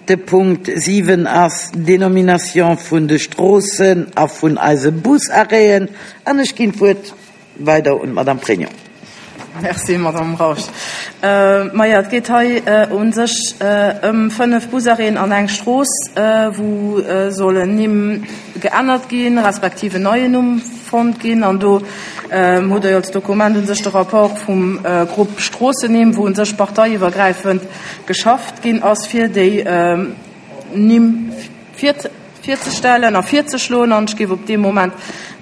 De Punkt 7 ass d'Dénomination vun de Stroossen a vun eise Busarrêten. An ech ginn d'Wuert weider un d'Madame Pregno. Merci, Madame Rausch. Majo, et geet hei u sech ëm 5 Busarrêten an eng Strooss, wou sollen Nimm geännert ginn, respektiv en neien Numm fonnt ginn. An do hutt Der jo als Dokument u sech de Rapport vum Grupp Stroossennimm, wou u sech parteiiwwergräifend geschafft ginn ass, fir déi Nimm virzestellen a virzeschloen. An ech géif op dee Moment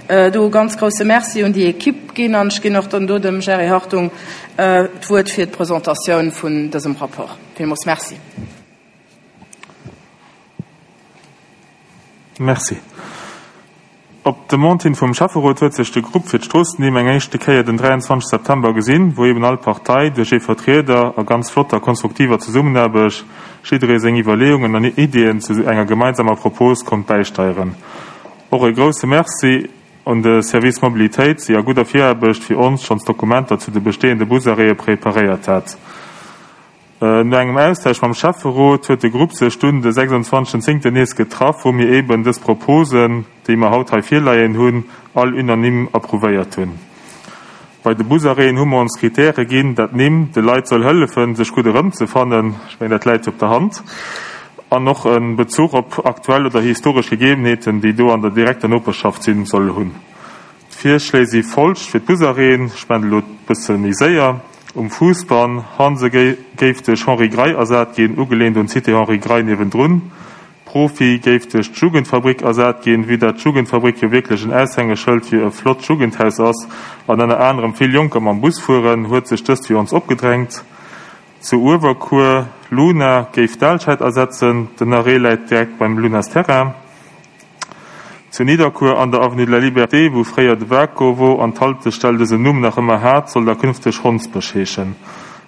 do e ganz grouse Merci un déi Equipe ginn. An ech ginn och dann do dem Jerry Hartung d'Wuert fir d'Presentatioun vun dësem Rapport. Villmools Merci. Merci. Op Demande hin vum Schäfferot huet sech de Grupp fir d'Stroossennimm eng éischte Kéier den 23 September gesinn, wou eben all Partei duerch ee Vertrieder a ganz flotter konstruktiver Zesummenaarbecht jidderee seng Iwwerleeungen an Ideeën zu enger gemeinsamer Propos konnt bäisteieren. Och e grousse Merci un de Service Mobilitéit, si a gudder Viraarbecht fir ons schonns Dokumenter zu de bestehende Busarrêtë preparéiert hat. No engem Austausch mam Schäfferot huet de Grupp sech dunn de 26 zéngten nees getraff, wou mir eben dës Proposen, déi mer haut hei virleien hunn, all unanime approuvéiert hunn. Bei de Busarrêten hu mer ons Kritäre ginn, dat d'Nimm de Leit soll hëllefen, sech gutt erëmzefannen, ech mengen dat läit jo op der Hand, an och e Bezuch op aktuell oder historesch Gegebenheeten, déi do an der direkter Noperschaft sinn, soll hunn. D'Virschléi si folgt fir d'Busarrêten, ech maachen elo e bësse méi séier, Um Fousbann, Hanse géif duerch Henri Grey ersat ginn, ugeleent un d'Cité Henri Grey niewendrun. Profi géif duerch d'Jugendfabrik ersat ginn, vue dat d'Jugendfabrik jo wierklech en Aushängeschëld fir e flott Jugendhaus ass an ënner anerem vill Jonker mam Bus fueren, huet sech dëst fir ons opgedrängt. Zu Uewerkuer, Luna géif d'Alscheid ersetzen, den Arrêt läit direkt beim Lunas Terrain. Zu Nidderkuer an der Avenue de la Liberté, wou fréier de Waco wor an d'Haltestell dësen Numm nach ëmmer hat, soll da künfteg Hondsbësch heeschen.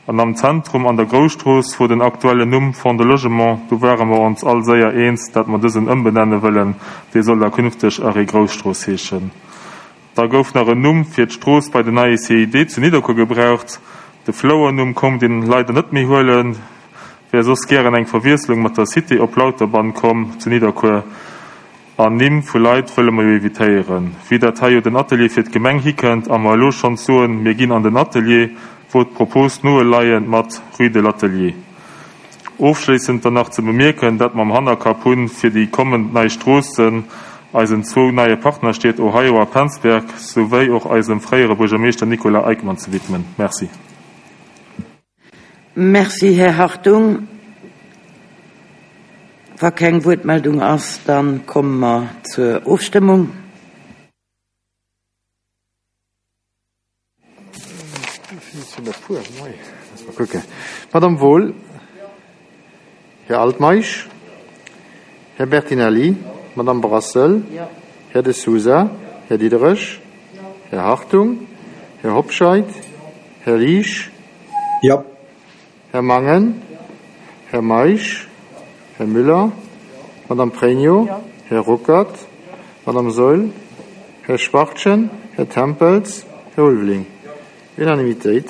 An am Zentrum an der Grousstrooss wor den aktuellen Numm Fonds de Logement, do ware mer ons all séier eens, dat mer dësen ëmbenenne wëllen, dee soll da künfteg Arrêt Grousstrooss heeschen. Da gouf nach en Numm fir d'Strooss bei den neie CID zu Nidderkuer gebraucht. De Flouernumm konnt een leider net méi huelen, wär soss gären eng Verwiesslung mat der Cité op Lauterbann komm zu Nidderkuer. An Nimm vu Leit wëlle mer jo evitéieren. Vue dat hei jo den Atelier fir d'Gemeng hikënnt a mer elo schonns soen, mir ginn an den Atelier, wor d'Propos noeleiend mat Rue de l'Atelier. Ofschléissend dann nach ze bemierken, dat mer am Hannerkapp hunn, fir déi kommend nei Stroossen eisen zwou neie Partnerstied Ohio a Penzberg souwéi och eisem fréiere Buergermeeschter Nicolas Eickmann ze widmen. Merci. Merci, Här Hartung. Wa keng Wuertmeldung ass, da komme mer zur Ofstëmmung. Madame Wohl, Här Altmeisch, Här Bertinelli, Madame Brassel, Här De Sousa, Här Diderich, Här Hartung, Här Hobscheit, Här Liesch, Här Mangen, Här Meisch, Här Müller, Madame Pregno, Här Ruckert, Madame Saeul, Här Schwachtgen, Här Tempels, Här Ulveling. Unanimitéit.